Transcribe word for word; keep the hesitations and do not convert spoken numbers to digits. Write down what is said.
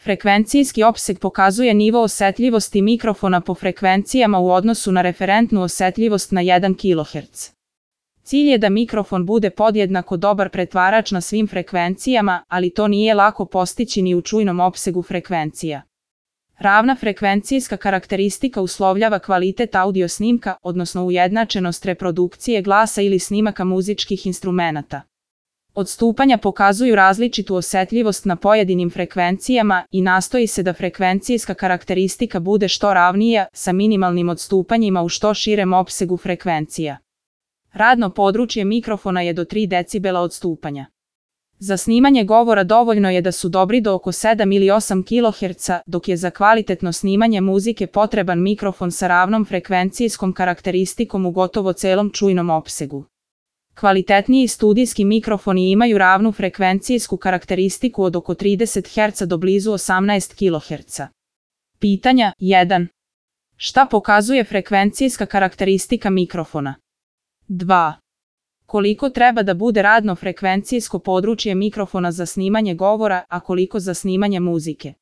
Frekvencijski opseg pokazuje nivo osetljivosti mikrofona po frekvencijama u odnosu na referentnu osetljivost na jedan kiloherc. Cilj je da mikrofon bude podjednako dobar pretvarač na svim frekvencijama, ali to nije lako postići ni u čujnom opsegu frekvencija. Ravna frekvencijska karakteristika uslovljava kvalitet audio snimka, odnosno ujednačenost reprodukcije glasa ili snimaka muzičkih instrumenata. Odstupanja pokazuju različitu osetljivost na pojedinim frekvencijama i nastoji se da frekvencijska karakteristika bude što ravnija, sa minimalnim odstupanjima u što širem opsegu frekvencija. Radno područje mikrofona je do tri decibela odstupanja. Za snimanje govora dovoljno je da su dobri do oko sedam ili osam kiloherca, dok je za kvalitetno snimanje muzike potreban mikrofon sa ravnom frekvencijskom karakteristikom u gotovo celom čujnom opsegu. Kvalitetniji studijski mikrofoni imaju ravnu frekvencijsku karakteristiku od oko trideset herca do blizu osamnaest kiloherca. Pitanja jedan. Šta pokazuje frekvencijska karakteristika mikrofona? dva. Koliko treba da bude radno frekvencijsko područje mikrofona za snimanje govora, a koliko za snimanje muzike?